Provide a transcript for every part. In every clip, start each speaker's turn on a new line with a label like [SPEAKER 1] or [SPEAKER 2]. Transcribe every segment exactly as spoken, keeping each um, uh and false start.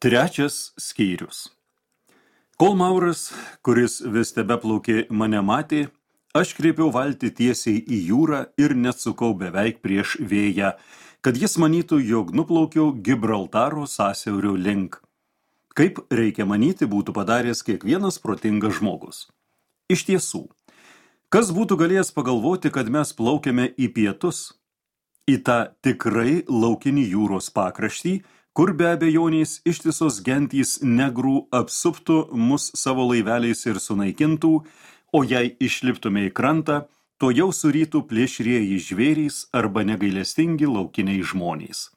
[SPEAKER 1] Trečias skyrius. Kol Mauras, kuris vis tebeplaukė, mane matė, aš kreipiau valtį tiesiai į jūrą ir neatsukau beveik prieš vėją, kad jis manytų, jog nuplaukiau Gibraltaro sąsiaurio link. Kaip reikia manyti, būtų padaręs kiekvienas protingas žmogus. Iš tiesų, kas būtų galėjęs pagalvoti, kad mes plaukiame į pietus, į tą tikrai laukinį jūros pakraštį, kur be abejonės ištisos gentys negrų apsuptų mus savo laiveliais ir sunaikintų, o jei išliptume į krantą, to jau surytų plėšrieji žvėrys arba negailestingi laukiniai žmonės.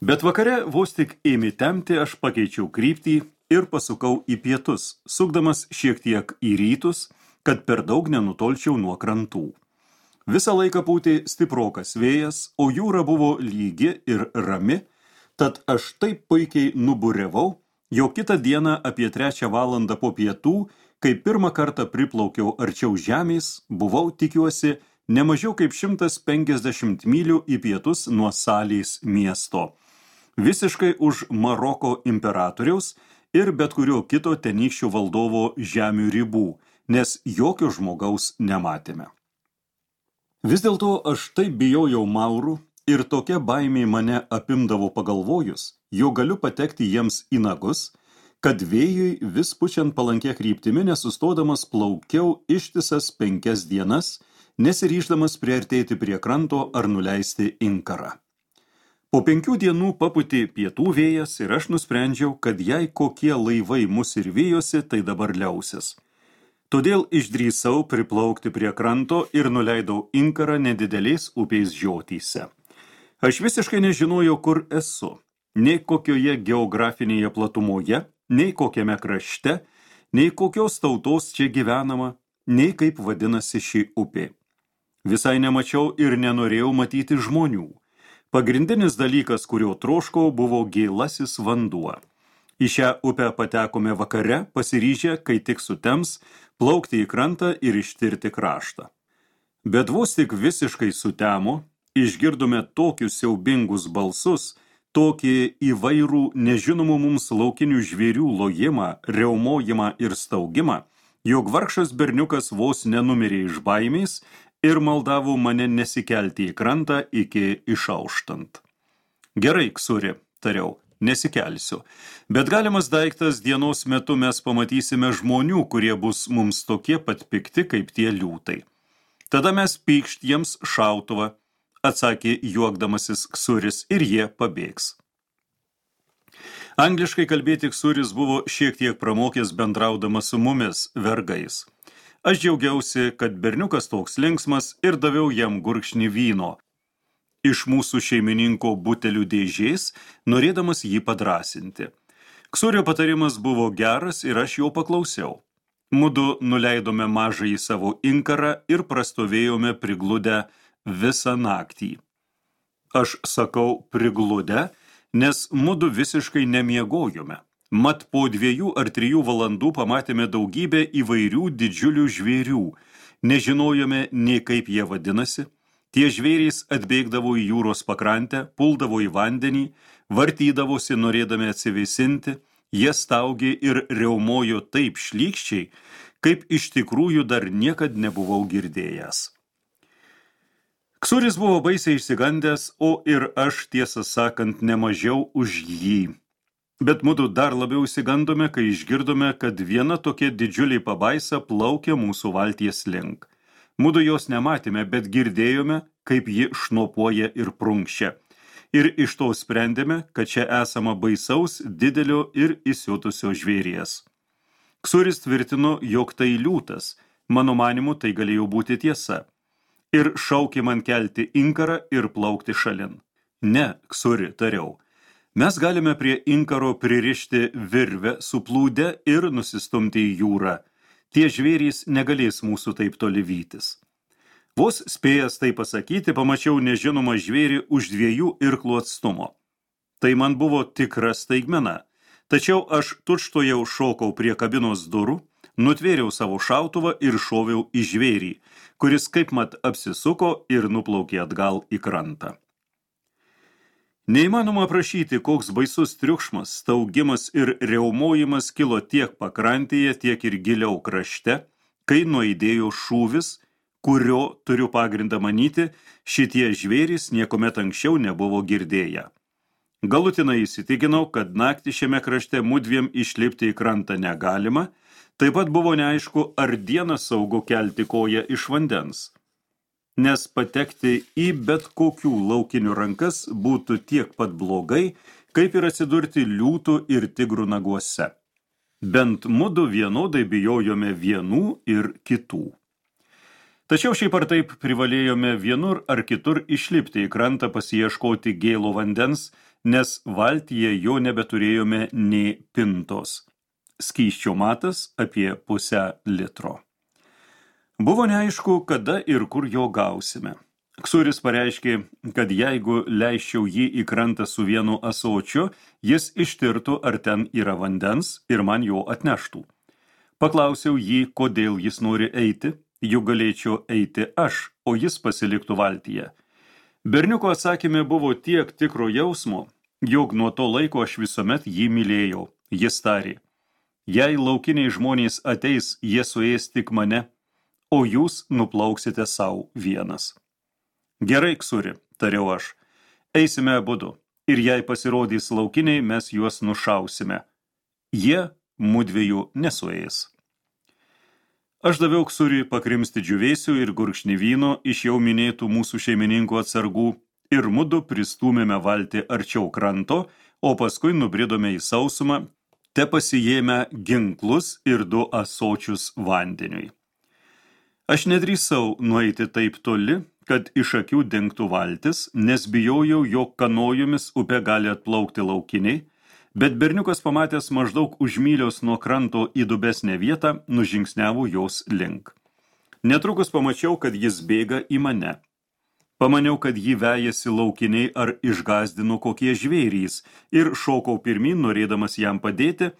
[SPEAKER 1] Bet vakare vos tik ėmė temti, aš pakeičiau kryptį ir pasukau į pietus, sukdamas šiek tiek į rytus, kad per daug nenutolčiau nuo krantų. Visą laiką pūtė stiprokas vėjas, o jūra buvo lygi ir rami, tad aš taip puikiai nuburiavau, jog kitą dieną apie trečią valandą po pietų, kai pirmą kartą priplaukiau arčiau žemės, buvau, tikiuosi, ne mažiau kaip šimtas penkiasdešimt mylių į pietus nuo Salės miesto, visiškai už Maroko imperatoriaus ir bet kurio kito tenykščio valdovo žemių ribų, nes jokio žmogaus nematėme. Vis dėlto aš taip bijojau Maurų, ir tokia baimė mane apimdavo pagalvojus, jo galiu patekti jiems į nagus, kad vėjui vis pučiant palankia kryptimi nesustodamas plaukiau ištisas penkias dienas, nesiryždamas priartėti prie kranto ar nuleisti inkarą. Po penkių dienų papūtė pietų vėjas ir aš nusprendžiau, kad jei kokie laivai mus ir vijosi, tai dabar liausis. Todėl išdrįsau priplaukti prie kranto ir nuleidau inkarą nedideliais upės žiotyse. Aš visiškai nežinojau, kur esu, nei kokioje geografinėje platumoje, nei kokiame krašte, nei kokios tautos čia gyvenama, nei kaip vadinasi ši upė. Visai nemačiau ir nenorėjau matyti žmonių. Pagrindinis dalykas, kurio troškau, buvo gėlasis vanduo. Į šią upę patekome vakare, pasiryžę, kai tik sutems, plaukti į krantą ir ištirti kraštą. Bet vos tik visiškai sutemo, išgirdome tokius siaubingus balsus, tokį įvairų nežinomų mums laukinių žvėrių lojimą, riaumojimą ir staugimą, jog vargšas berniukas vos nenumirė iš baimės ir maldavo mane nesikelti į krantą iki išauštant. Gerai, Ksuri, tariau, nesikelsiu, bet galimas daiktas dienos metu mes pamatysime žmonių, kurie bus mums tokie pat pikti kaip tie liūtai. Tada mes pykšt jiems šautuvą, atsakė juokdamasis Ksuris, ir jie pabėgs. Angliškai kalbėti Ksuris buvo šiek tiek pramokęs bendraudamas su mumis, vergais. Aš džiaugiausi, kad berniukas toks linksmas ir daviau jam gurkšnį vyno iš mūsų šeimininko butelių dėžės, norėdamas jį padrasinti. Ksurio patarimas buvo geras ir aš jo paklausiau. Mudu nuleidome mažąjį savo inkarą ir prastovėjome prigludę visą naktį. Aš sakau prigludę, nes mudu visiškai nemiegojome. Mat po dviejų ar trijų valandų pamatėme daugybę įvairių didžiulių žvėrių. Nežinojome nei kaip jie vadinasi. Tie žvėrys atbėgdavo į jūros pakrantę, puldavo į vandenį, vartydavosi norėdami atsivėsinti, jie staugė ir riaumojo taip šlykščiai, kaip iš tikrųjų dar niekad nebuvau girdėjęs. Ksuris buvo baisiai išsigandęs, o ir aš, tiesą sakant, nemažiau už jį. Bet mudu dar labiau išsigandome, kai išgirdome, kad viena tokia didžiulė pabaisa plaukia mūsų valties link. Mudu jos nematėme, bet girdėjome, kaip ji šnopuoja ir prunkščia. Ir iš to sprendėme, kad čia esama baisaus, didelio ir įsiutusio žvėries. Ksuris tvirtino, jog tai liūtas. Mano manimu, tai galėjo būti tiesa. Ir šaukė man kelti inkarą ir plaukti šalin. Ne, Ksuri, tariau. Mes galime prie inkaro pririšti virvę su plūde ir nusistumti į jūrą. Tie žvėrys negalės mūsų taip toli vytis. Vos spėjęs tai pasakyti, pamačiau nežinomą žvėrį už dviejų irklų atstumo. Tai man buvo tikra staigmena. Tačiau aš tučtuojau šokau prie kabinos durų, nutvėriau savo šautuvą ir šoviau į žvėrį, kuris kaip mat apsisuko ir nuplaukė atgal į krantą. Neįmanoma aprašyti, koks baisus triukšmas, staugimas ir riaumojimas kilo tiek pakrantėje, tiek ir giliau krašte, kai nuaidėjo šūvis, kurio, turiu pagrindą manyti, šitie žvėrys niekuomet anksčiau nebuvo girdėję. Galutinai įsitikinau, kad naktį šiame krašte mudviem išlipti į krantą negalima, taip pat buvo neaišku, ar dieną saugu kelti koją iš vandens, nes patekti į bet kokių laukinių rankas būtų tiek pat blogai, kaip ir atsidurti liūtų ir tigrų naguose. Bent mudu vienodai bijojome vienų ir kitų. Tačiau šiaip ar taip privalėjome vienur ar kitur išlipti į krantą pasiieškoti gėlo vandens, nes valtyje jo nebeturėjome nė pintos. Skysčio matas apie pusę litro. Buvo neaišku, kada ir kur jo gausime. Ksuris pareiškė, kad jeigu leisčiau jį į krantą su vienu ąsočiu, jis ištirtų, ar ten yra vandens ir man jo atneštų. Paklausiau jį, kodėl jis nori eiti, juk galėčiau eiti aš, o jis pasiliktų valtyje. Berniuko atsakyme buvo tiek tikro jausmo, jog nuo to laiko aš visuomet jį mylėjau. Jis tarė, jei laukiniai žmonės ateis, jie suės tik mane, o jūs nuplauksite savo vienas. Gerai, Ksuri, tariau aš, eisime abudu, ir jei pasirodys laukiniai, mes juos nušausime. Jie mudviejų nesuės. Aš daviau Ksuriui pakrimsti džiūvėsių ir gurkšnį vyno iš jau minėtų mūsų šeimininkų atsargų ir mudu pristūmėme valtį arčiau kranto, o paskui nubridome į sausumą, te pasijėmę ginklus ir du ąsočius vandeniui. Aš nedrįsau nueiti taip toli, kad iš akių dingtų valtis, nes bijojau, jog kanojomis upė gali atplaukti laukiniai, bet berniukas pamatęs maždaug už mylios nuo kranto į dubesnę vietą, nužingsniavo jos link. Netrukus pamačiau, kad jis bėga į mane. Pamaniau, kad jį vejasi laukiniai ar išgazdino kokie žvėrys ir šokau pirmyn, norėdamas jam padėti,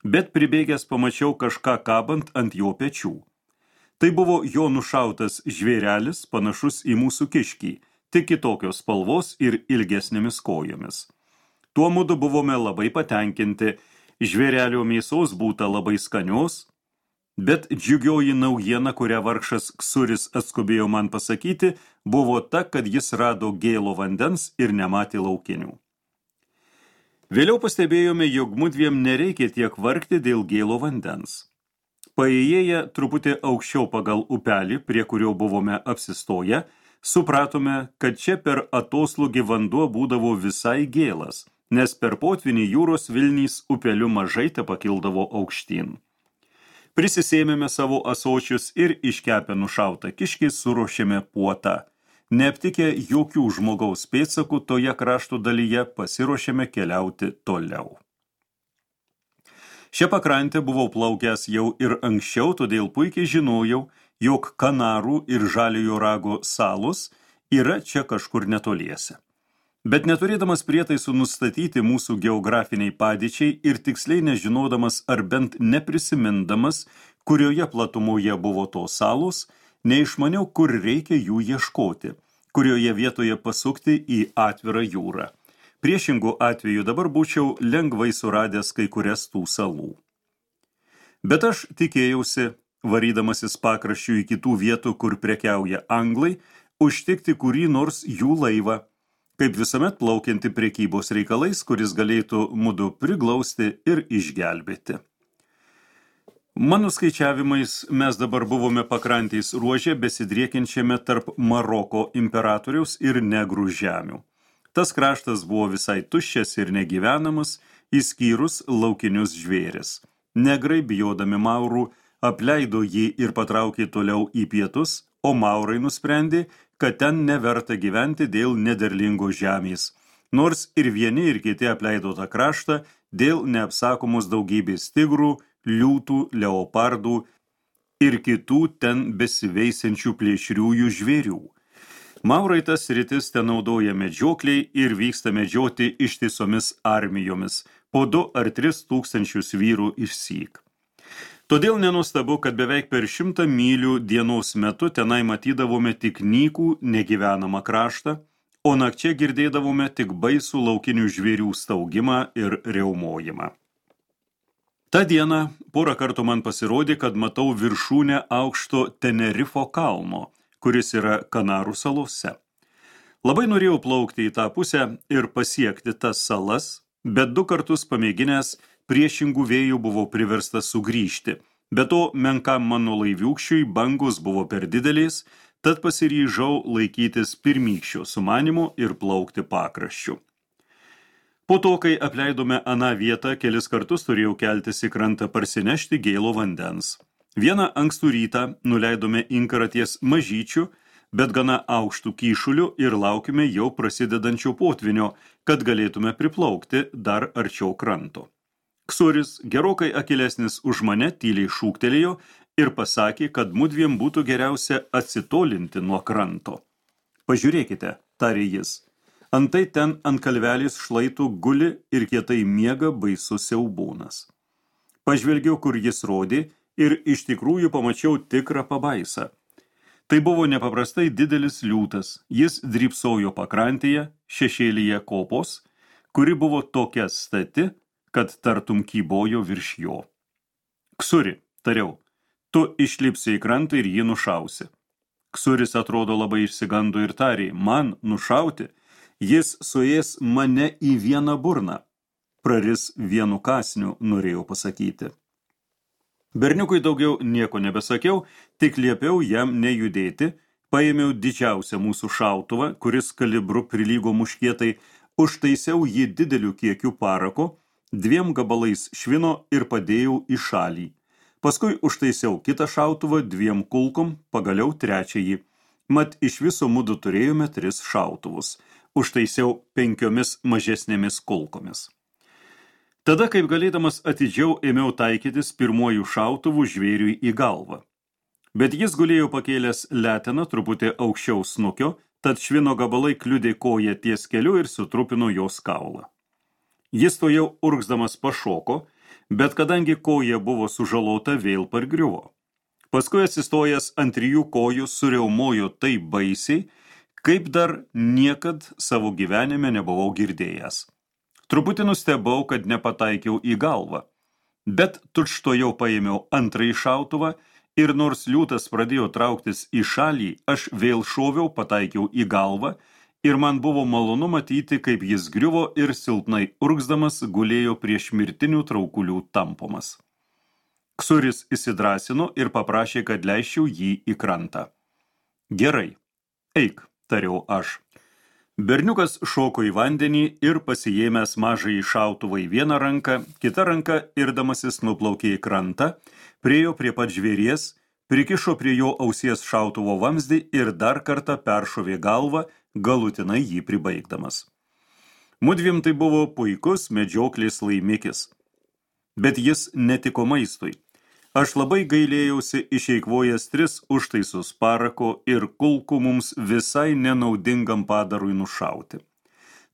[SPEAKER 1] bet pribėgęs pamačiau kažką kabant ant jo pečių. Tai buvo jo nušautas žvėrelis, panašus į mūsų kiškį, tik kitokios spalvos ir ilgesnėmis kojomis. Tuo mudu buvome labai patenkinti, žvėrelio mėsos būta labai skanios, bet džiugioji naujiena, kurią vargšas Ksuris atskubėjo man pasakyti, buvo ta, kad jis rado gėlo vandens ir nematė laukinių. Vėliau pastebėjome, jog mudviem nereikia tiek vargti dėl gėlo vandens. Paėjėję truputį aukščiau pagal upelį, prie kurio buvome apsistoję, supratome, kad čia per atoslūgį vanduo būdavo visai gėlas, nes per potvinį jūros vilnys upeliu mažai te pakildavo aukštyn. Prisisėmėme savo ąsočius ir iškepę nušautą kiškį suruošėme puotą. Neaptikę jokių žmogaus pėdsakų toje krašto dalyje, pasiruošėme keliauti toliau. Šią pakrantę buvau plaukęs jau ir anksčiau, todėl puikiai žinojau, jog Kanarų ir Žaliojo rago salos yra čia kažkur netoliese. Bet neturėdamas prietaisų nustatyti mūsų geografiniai padėčiai ir tiksliai nežinodamas ar bent neprisimindamas, kurioje platumoje buvo tos salos, neišmaniau, kur reikia jų ieškoti, kurioje vietoje pasukti į atvirą jūrą. Priešingų atveju dabar būčiau lengvai suradęs kai kurias tų salų. Bet aš tikėjausi, varydamasis pakraščių į kitų vietų, kur prekiauja anglai, užtikti kurį nors jų laivą, kaip visuomet plaukianti prekybos reikalais, kuris galėtų mudu priglausti ir išgelbėti. Mano skaičiavimais mes dabar buvome pakrantės ruože besidriekiančiame tarp Maroko imperatoriaus ir negrų žemių. Tas kraštas buvo visai tuščias ir negyvenamas, išskyrus laukinius žvėris. Negrai, bijodami maurų, apleido jį ir patraukė toliau į pietus, o maurai nusprendė, kad ten neverta gyventi dėl nederlingos žemės, nors ir vieni ir kiti apleido tą kraštą dėl neapsakomos daugybės tigrų, liūtų, leopardų ir kitų ten besiveisiančių plėšriųjų žvėrių. Maurai tas sritis ten naudoja medžiokliai ir vyksta medžioti ištisomis armijomis, po du ar tris tūkstančius vyrų išsyk. Todėl nenuostabu, kad beveik per šimtą mylių dienos metu tenai matydavome tik nykų negyvenamą kraštą, o nakčia girdėdavome tik baisų laukinių žvėrių staugimą ir riaumojimą. Ta diena porą kartų man pasirodė, kad matau viršūnę aukšto Tenerifo kalno, kuris yra Kanarų salose. Labai norėjau plaukti į tą pusę ir pasiekti tas salas, bet du kartus pamėginęs priešingų vėjų buvau priverstas sugrįžti. Be to, menkam mano laiviūkščiui bangos buvo per didelės, tad pasiryžau laikytis pirmykščio sumanymo ir plaukti pakraščiu. Po to, kai apleidome aną vietą, kelis kartus turėjau keltis į krantą parsinešti gėlo vandens. Vieną ankstų rytą nuleidome inkarą ties mažyčių, bet gana aukštų kyšulių ir laukime jau prasidedančio potvinio, kad galėtume priplaukti dar arčiau kranto. Ksuris, gerokai akilesnis už mane, tyliai šūktelėjo ir pasakė, kad mudviem būtų geriausia atsitolinti nuo kranto. Pažiūrėkite, tarė jis, antai ten ant kalvelės šlaitų guli ir kietai miega baisus siaubūnas. Pažvelgiau, kur jis rodė ir iš tikrųjų pamačiau tikrą pabaisą. Tai buvo nepaprastai didelis liūtas, jis drybsojo pakrantėje, šešėlyje kopos, kuri buvo tokia stati, kad tartum kybojo virš jo. Ksuri, tariau, tu išlipsi į krantą ir jį nušausi. Ksuris atrodo labai išsigando ir tarė, man nušauti, jis suės mane į vieną burną. Praris vienu kasniu, norėjau pasakyti. Berniukui daugiau nieko nebesakiau, tik liepiau jam nejudėti, paėmiau didžiausią mūsų šautuvą, kuris kalibru prilygo muškietai, užtaisiau jį dideliu kiekiu parako, dviem gabalais švino ir padėjau į šalį. Paskui užtaisiau kitą šautuvą dviem kulkom, pagaliau trečiąjį. Mat iš viso mudu turėjome tris šautuvus. Užtaisiau penkiomis mažesnėmis kulkomis. Tada, kaip galėdamas atidžiau, ėmiau taikytis pirmuoju šautuvu žvėriui į galvą. Bet jis gulėjo pakėlęs leteną truputį aukščiau snukio, tad švino gabalai kliudė koją ties keliu ir sutrupino jos kaulą. Jis to jau urgzdamas pašoko, bet kadangi koja buvo sužalota, vėl pargriuvo. Paskui atsistojęs ant trijų kojų suriaumojo taip baisiai, kaip dar niekad savo gyvenime nebuvau girdėjęs. Truputį nustebau, kad nepataikiau į galvą, bet tučtojau paėmiau antrąjį šautuvą ir nors liūtas pradėjo trauktis į šalį, aš vėl šoviau, pataikiau į galvą ir man buvo malonu matyti, kaip jis griuvo ir silpnai urgzdamas gulėjo prieš mirtinių traukulių tampomas. Ksuris įsidrasino ir paprašė, kad leisčiau jį į krantą. Gerai, eik, tariau aš. Berniukas šoko į vandenį ir pasiėmęs mažąjį šautuvą į vieną ranką, kita ranka irdamasis nuplaukė į krantą, priejo prie pat žvėries, prikišo prie jo ausies šautuvo vamzdį ir dar kartą peršovė galvą, galutinai jį pribaigdamas. Mudviem tai buvo puikus medžioklės laimikis, bet jis netiko maistui. Aš labai gailėjausi išeikvojęs tris užtaisus parako ir kulkų mums visai nenaudingam padarui nušauti.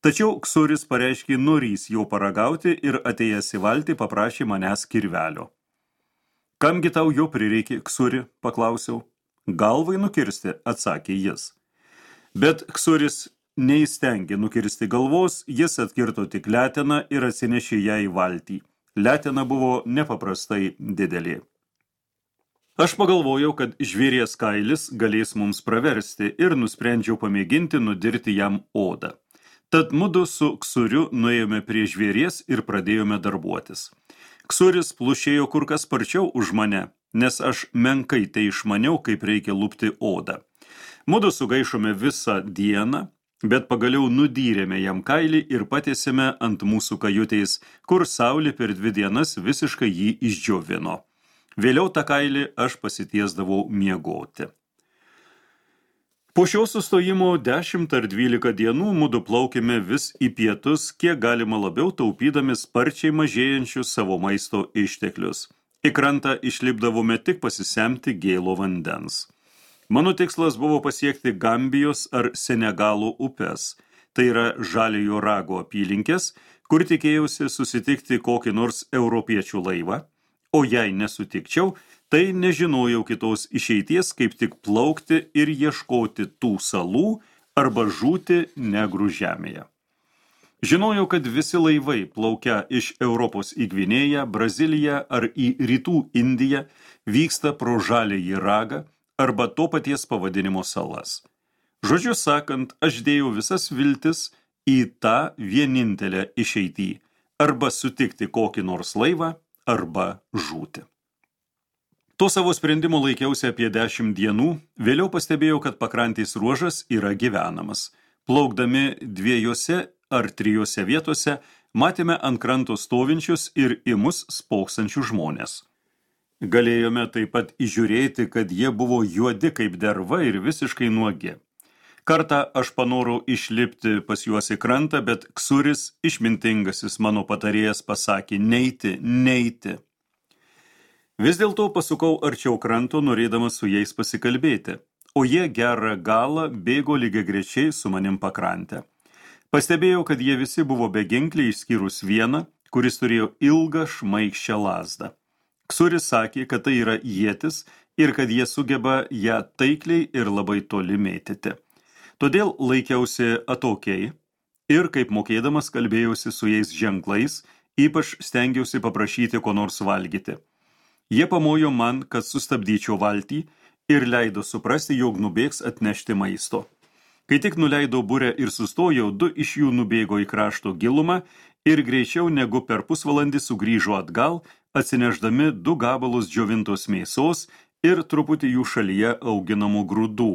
[SPEAKER 1] Tačiau Ksuris pareiškė norys jau paragauti ir atėjęs į valtį paprašė manęs kirvelio. Kamgi tau jo prireikė, Ksuri, paklausiau. Galvai nukirsti, atsakė jis. Bet Ksuris neįstengė nukirsti galvos, jis atkirto tik leteną ir atsinešė ją į valtį. Letena buvo nepaprastai didelė. Aš pagalvojau, kad žvėries kailis galės mums praversti ir nusprendžiau pamėginti nudirti jam odą. Tad mudu su Ksuriu nuėjome prie žvėries ir pradėjome darbuotis. Ksuris plušėjo kur kas sparčiau už mane, nes aš menkai tai išmaniau, kaip reikia lupti odą. Mudu sugaišome visą dieną, bet pagaliau nudyrėme jam kailį ir patiesėme ant mūsų kajutės, kur saulė per dvi dienas visiškai jį išdžiovino. Vėliau tą kailį aš pasitiesdavau miegoti. Po šio sustojimo dešimt ar dvylika dienų mudu plaukėme vis į pietus, kiek galima labiau taupydami sparčiai mažėjančius savo maisto išteklius. Į krantą išlipdavome tik pasisemti gėlo vandens. Mano tikslas buvo pasiekti Gambijos ar Senegalo upes, tai yra Žaliojo rago apylinkės, kur tikėjausi susitikti kokį nors europiečių laivą, o jei nesutikčiau, tai nežinojau kitos išeities, kaip tik plaukti ir ieškoti tų salų, arba žūti negrų žemėje. Žinojau, kad visi laivai plaukia iš Europos į Gvinėją, Braziliją ar į Rytų Indiją vyksta pro Žaliąjį ragą arba to paties pavadinimo salas. Žodžiu sakant, aš dėjau visas viltis į tą vienintelę išeitį – arba sutikti kokį nors laivą, arba žūti. To savo sprendimo laikiausi apie dešimt dienų, vėliau pastebėjau, kad pakrantės ruožas yra gyvenamas. Plaukdami dviejose ar trijose vietose matėme ant kranto stovinčius ir į mus spoksančių žmonės. Galėjome taip pat įžiūrėti, kad jie buvo juodi kaip derva ir visiškai nuogi. Kartą aš panorau išlipti pas juos į krantą, bet Ksuris, išmintingasis mano patarėjas, pasakė neiti, neiti. Vis dėlto pasukau arčiau kranto, norėdamas su jais pasikalbėti, o jie gerą galą bėgo lygiagrečiai su manim pakrantę. Pastebėjau, kad jie visi buvo beginkliai išskyrus vieną, kuris turėjo ilgą šmaikščią lazdą. Ksuris sakė, kad tai yra ietis ir kad jie sugeba ją taikliai ir labai toli mėtyti. Todėl laikiausi atokiai ir, kaip mokėdamas, kalbėjausi su jais ženklais, ypač stengiausi paprašyti ko nors valgyti. Jie pamojo man, kad sustabdyčiau valtį ir leido suprasti, jog nubėgs atnešti maisto. Kai tik nuleidau burę ir sustojau, du iš jų nubėgo į krašto gilumą ir greičiau negu per pusvalandį sugrįžo atgal, atsinešdami du gabalus džiovintos mėsos ir truputį jų šalyje auginamų grūdų,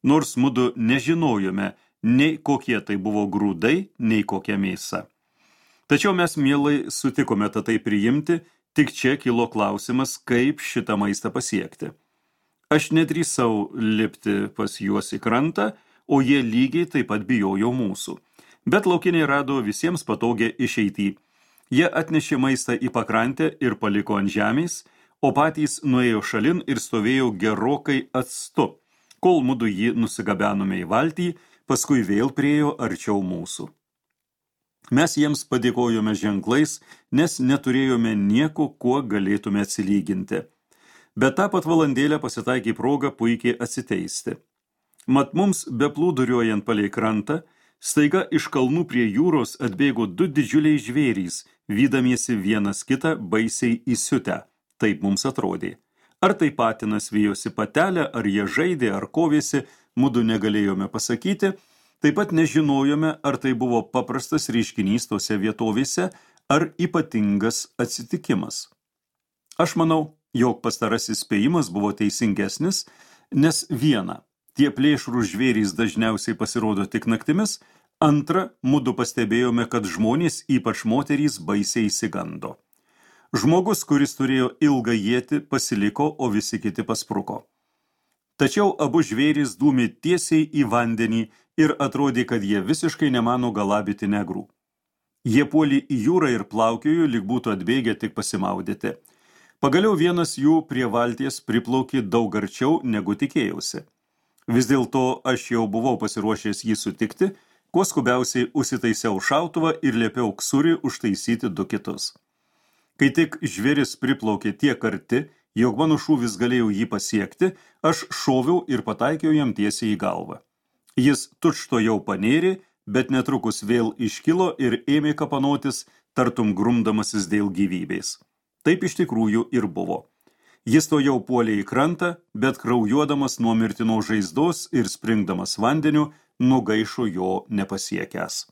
[SPEAKER 1] nors mudu nežinojome nei kokie tai buvo grūdai, nei kokia mėsa. Tačiau mes mielai sutikome tai priimti, tik čia kilo klausimas, kaip šitą maistą pasiekti. Aš nedrįsau lipti pas juos į krantą, o jie lygiai taip pat bijojo mūsų. Bet laukiniai rado visiems patogią išeitį. Jie atnešė maistą į pakrantę ir paliko ant žemės, o patys nuėjo šalin ir stovėjo gerokai atstu, kol mudu jį nusigabenome į valtį, paskui vėl priėjo arčiau mūsų. Mes jiems padėkojome ženklais, nes neturėjome nieko, kuo galėtume atsilyginti. Bet tą pat valandėlę pasitaikė proga puikiai atsiteisti. Mat mums beplūduriuojant palei krantą, staiga iš kalnų prie jūros atbėgo du didžiuliai žvėrys, vydamiesi vienas kitą baisiai įsiutę. Taip mums atrodė. Ar tai patinas vijosi patelę, ar jie žaidė, ar kovėsi, mudu negalėjome pasakyti. Taip pat nežinojome, ar tai buvo paprastas reiškinys tose vietovėse, ar ypatingas atsitikimas. Aš manau, jog pastarasis spėjimas buvo teisingesnis, nes viena, tie plėšrūs žvėrys dažniausiai pasirodo tik naktimis, antra, mudu pastebėjome, kad žmonės, ypač moterys, baisiai išsigando. Žmogus, kuris turėjo ilgą ietį, pasiliko, o visi kiti paspruko. Tačiau abu žvėrys dūmė tiesiai į vandenį ir atrodė, kad jie visiškai nemano galabyti negrų. Jie puolė į jūrą ir plaukiojo, lyg būtų atbėgę tik pasimaudyti. Pagaliau vienas jų prie valties priplaukė daug arčiau, negu tikėjausi. Vis dėlto aš jau buvau pasiruošęs jį sutikti, kuo skubiausiai užsitaisiau šautuvą ir liepiau Ksuriui užtaisyti du kitus. Kai tik žvėris priplaukė tiek arti, jog mano šūvis galėjau jį pasiekti, aš šoviau ir pataikiau jam tiesiai į galvą. Jis tučtuojau panėrė, bet netrukus vėl iškilo ir ėmė kapanotis, tartum grumdamasis dėl gyvybės. Taip iš tikrųjų ir buvo. Jis to jau puolė į krantą, bet kraujuodamas nuo mirtino žaizdos ir springdamas vandeniu, nugaišo jo nepasiekęs.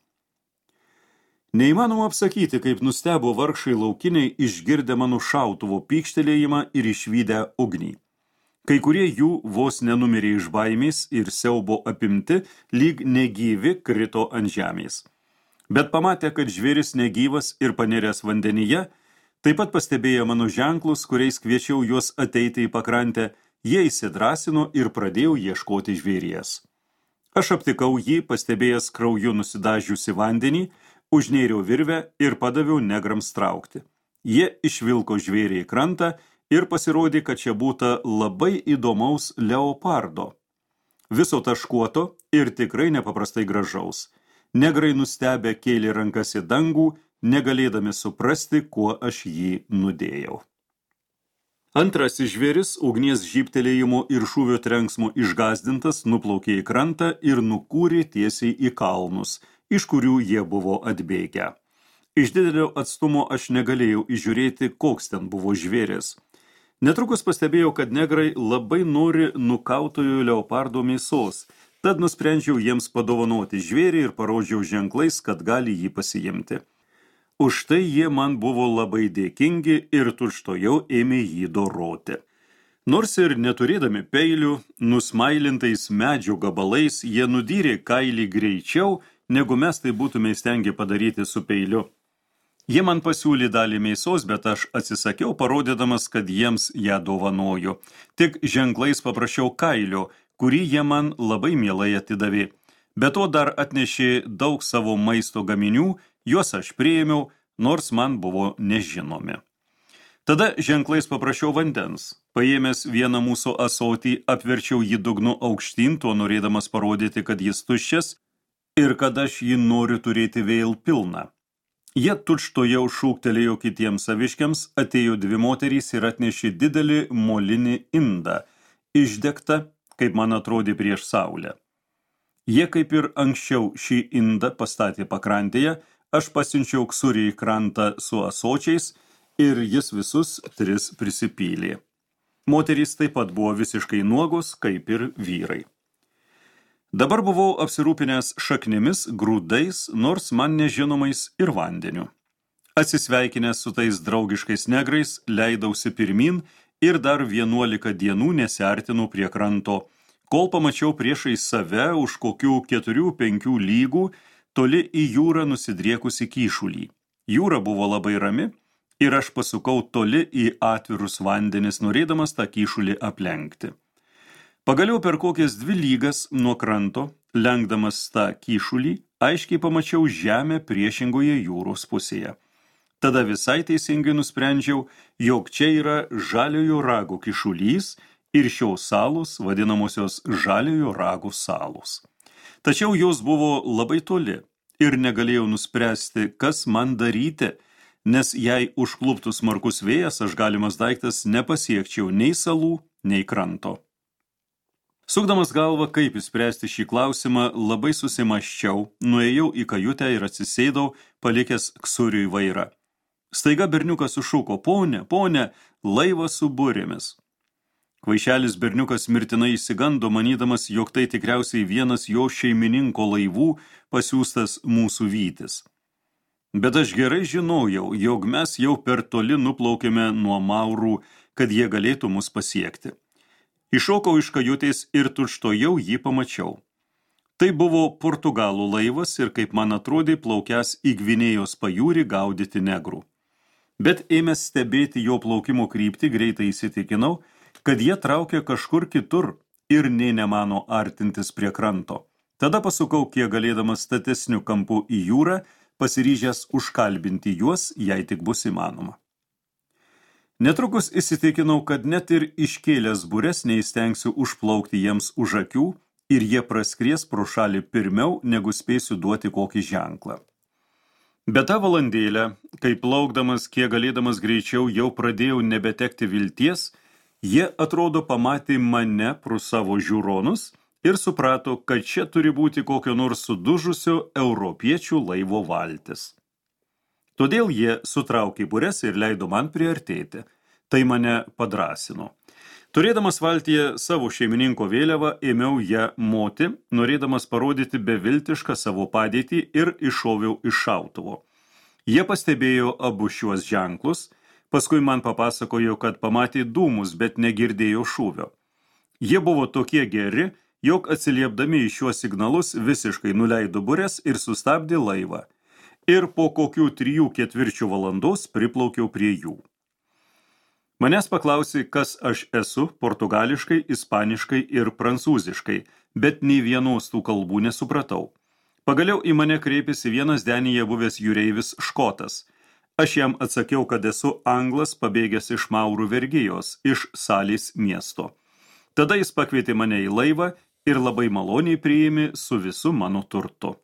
[SPEAKER 1] Neįmanoma apsakyti, kaip nustebo vargšai laukiniai išgirdę mano šautuvo pykštelėjimą ir išvydę ugnį. Kai kurie jų vos nenumirė iš baimės ir siaubo apimti, lyg negyvi krito ant žemės. Bet pamatė, kad žvėris negyvas ir paniręs vandenyje, taip pat pastebėjo mano ženklus, kuriais kviečiau juos ateiti į pakrantę, jie įsidrąsino ir pradėjo ieškoti žvėries. Aš aptikau jį, pastebėjęs krauju nusidažiusi vandenį, užnėriau virvę ir padaviau negrams traukti. Jie išvilko žvėrį į krantą ir pasirodė, kad čia būta labai įdomaus leopardo. Viso taškuoto ir tikrai nepaprastai gražaus. Negrai nustebę kėlė rankas į dangų, negalėdami suprasti, kuo aš jį nudėjau. Antrasis žvėris, ugnies žybtelėjimo ir šūvio trenksmo išgąsdintas, nuplaukė į krantą ir nukūrė tiesiai į kalnus, iš kurių jie buvo atbėgę. Iš didelio atstumo aš negalėjau įžiūrėti, koks ten buvo žvėris. Netrukus pastebėjau, kad negrai labai nori nukautojo leopardo mėsos, tad nusprendžiau jiems padovanoti žvėrį ir parodžiau ženklais, kad gali jį pasiimti. Už tai jie man buvo labai dėkingi ir tučtojau ėmė jį doroti. Nors ir neturėdami peilių, nusmailintais medžio gabalais, jie nudyrė kailį greičiau, negu mes tai būtume įstengę padaryti su peiliu. Jie man pasiūlė dalį mėsos, bet aš atsisakiau, parodydamas, kad jiems ją dovanoju. Tik ženklais paprašiau kailio, kurį jie man labai mielai atidavė. Be to dar atnešė daug savo maisto gaminių, juos aš priėmiau, nors man buvo nežinomi. Tada ženklais paprašiau vandens. Paėmęs vieną mūsų ąsotį, apverčiau jį dugnu aukštyn, tuo norėdamas parodyti, kad jis tuščias ir kad aš jį noriu turėti vėl pilną. Jie tučtojau šūktelėjo kitiems saviškiams, atėjo dvi moterys ir atnešė didelį molinį indą, išdegtą, kaip man atrodė, prieš saulę. Jie kaip ir anksčiau šį indą pastatė pakrantėje, aš pasiunčiau ksurį į krantą su ąsočiais ir jis visus tris prisipylė. Moterys taip pat buvo visiškai nuogos, kaip ir vyrai. Dabar buvau apsirūpinęs šaknimis, grūdais, nors man nežinomais ir vandeniu. Atsisveikinęs su tais draugiškais negrais, leidausi pirmin ir dar vienuolika dienų nesiartinau prie kranto, kol pamačiau priešai save už kokių keturių penkių lygų, toli į jūrą nusidriekusi kyšulį. Jūra buvo labai rami ir aš pasukau toli į atvirus vandenis, norėdamas tą kyšulį aplenkti. Pagaliau per kokias dvi lygas nuo kranto, lenkdamas tą kyšulį, aiškiai pamačiau žemę priešingoje jūros pusėje. Tada visai teisingai nusprendžiau, jog čia yra žaliojo rago kyšulys ir šios salos vadinamosios žaliojo rago salos. Tačiau jos buvo labai toli ir negalėjau nuspręsti, kas man daryti, nes jei užkluptų smarkus vėjas, aš galimas daiktas nepasiekčiau nei salų, nei kranto. Sukdamas galvą, kaip išspręsti šį klausimą, labai susimaščiau, nuėjau į kajutę ir atsisėdau, palikęs ksuriui vairą. Staiga berniukas sušuko: "Pone, pone, laivas su burėmis." Kvaišelis berniukas mirtinai išsigando, manydamas, jog tai tikriausiai vienas jo šeimininko laivų pasiųstas mūsų vytis. Bet aš gerai žinojau, jog mes jau per toli nuplaukėme nuo maurų, kad jie galėtų mus pasiekti. Iššokau iš kajutės ir tučtojau jį pamačiau. Tai buvo Portugalų laivas ir, kaip man atrodė, plaukęs į Gvinėjos pajūrį gaudyti negrų. Bet ėmęs stebėti jo plaukimo kryptį, greitai įsitikinau, kad jie traukia kažkur kitur ir nė nemano artintis prie kranto. Tada pasukau kiek galėdamas statesniu kampu į jūrą, pasiryžęs užkalbinti juos, jei tik bus įmanoma. Netrukus įsitikinau, kad net ir iškėlęs bures neįstengsiu užplaukti jiems už akių ir jie praskries pro šalį pirmiau, negu spėsiu duoti kokį ženklą. Bet tą valandėlę, kai plaukdamas kiek galėdamas greičiau jau pradėjau nebetekti vilties, jie atrodo pamatė mane pro savo žiūronus ir suprato, kad čia turi būti kokio nors sudužusio europiečių laivo valtis. Todėl jie sutraukė bures ir leido man priartėti. Tai mane padrasino. Turėdamas valtyje savo šeimininko vėliavą, ėmiau ją moti, norėdamas parodyti beviltišką savo padėtį ir iššoviau iš šautuvo. Jie pastebėjo abu šiuos ženklus, paskui man papasakojo, kad pamatė dūmus, bet negirdėjo šūvio. Jie buvo tokie geri, jog atsiliepdami į šiuos signalus visiškai nuleido bures ir sustabdė laivą. Ir po kokių trijų ketvirčių valandos priplaukiau prie jų. Manęs paklausė, kas aš esu, portugališkai, ispaniškai ir prancūziškai, bet nei vienos tų kalbų nesupratau. Pagaliau į mane kreipėsi vienas denyje buvęs jūreivis škotas. Aš jam atsakiau, kad esu anglas pabėgęs iš maurų vergijos, iš Salės miesto. Tada jis pakvietė mane į laivą ir labai maloniai priėmė su visu mano turtu.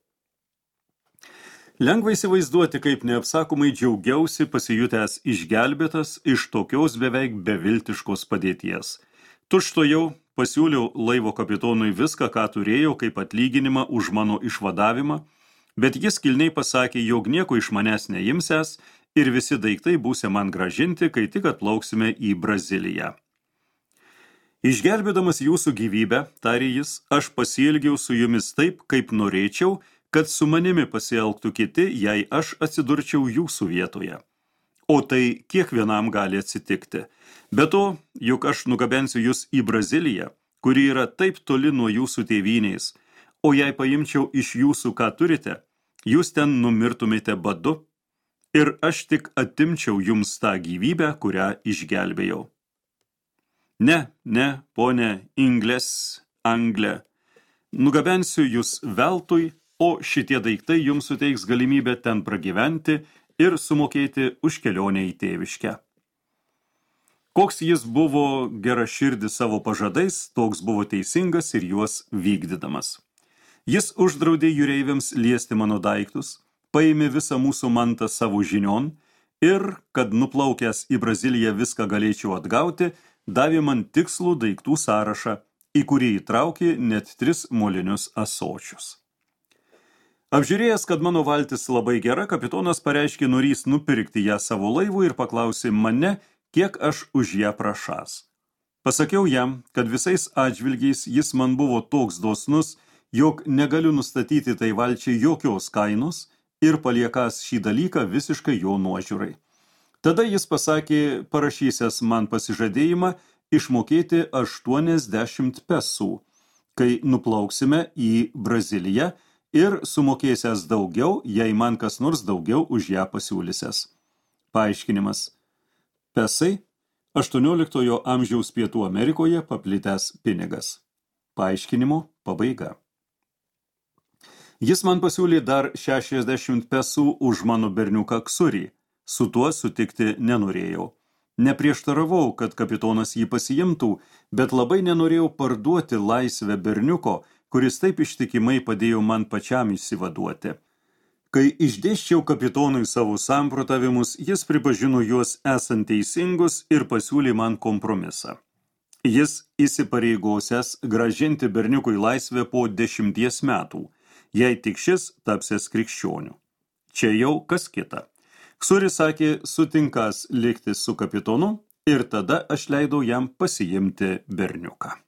[SPEAKER 1] Lengva įsivaizduoti, kaip neapsakomai džiaugiausi pasijutęs išgelbėtas iš tokios beveik beviltiškos padėties. Tučtuojau pasiūliau laivo kapitonui viską, ką turėjau kaip atlyginimą už mano išvadavimą, bet jis kilniai pasakė, jog nieko iš manęs neimsęs ir visi daiktai būsė man gražinti, kai tik atplauksime į Braziliją. Išgelbėdamas jūsų gyvybę, tarė jis, aš pasielgiau su jumis taip, kaip norėčiau, kad su manimi pasielgtų kiti, jei aš atsidurčiau jūsų vietoje. O tai kiekvienam gali atsitikti. Be to, juk aš nugabensiu jūs į Braziliją, kuri yra taip toli nuo jūsų tėvynės, o jei paimčiau iš jūsų, ką turite, jūs ten numirtumėte badu, ir aš tik atimčiau jums tą gyvybę, kurią išgelbėjau. Ne, ne, ponė Ingles, Anglė, nugabensiu jūs veltui, o šitie daiktai jums suteiks galimybę ten pragyventi ir sumokėti už kelionę į tėviškę. Koks jis buvo geraširdis savo pažadais, toks buvo teisingas ir juos vykdydamas. Jis uždraudė jūreiviams liesti mano daiktus, paėmė visą mūsų mantą savo žinion ir, kad nuplaukęs į Braziliją viską galėčiau atgauti, davė man tikslų daiktų sąrašą, į kurį įtraukė net tris molinius ąsočius. Apžiūrėjęs, kad mano valtis labai gera, kapitonas pareiškė norys nupirkti ją savo laivų ir paklausė mane, kiek aš už ją prašas. Pasakiau jam, kad visais atžvilgiais jis man buvo toks dosnus, jog negaliu nustatyti tai valčiai jokios kainos ir paliekas šį dalyką visiškai jo nuožiūrai. Tada jis pasakė, parašysęs man pasižadėjimą išmokėti aštuoniasdešimt pesų, kai nuplauksime į Braziliją, ir sumokėsęs daugiau, jei man kas nors daugiau už ją pasiūlysęs. Paaiškinimas. Pesai – aštuonioliktojo amžiaus Pietų Amerikoje paplitęs pinigas. Paaiškinimo pabaiga. Jis man pasiūlė dar šešiasdešimt pesų už mano berniuką Ksurį. Su tuo sutikti nenorėjau. Neprieštaravau, kad kapitonas jį pasiimtų, bet labai nenorėjau parduoti laisvę berniuko, kuris taip ištikimai padėjo man pačiam išsivaduoti. Kai išdėsčiau kapitonui savo samprotavimus, jis pripažino juos esant teisingus ir pasiūlė man kompromisą. Jis įsipareigosiąs grąžinti berniukui laisvę po dešimties metų, jei tik šis tapsės krikščioniu. Čia jau kas kita. Ksuris sakė, sutinkas likti su kapitonu ir tada aš leidau jam pasiimti berniuką.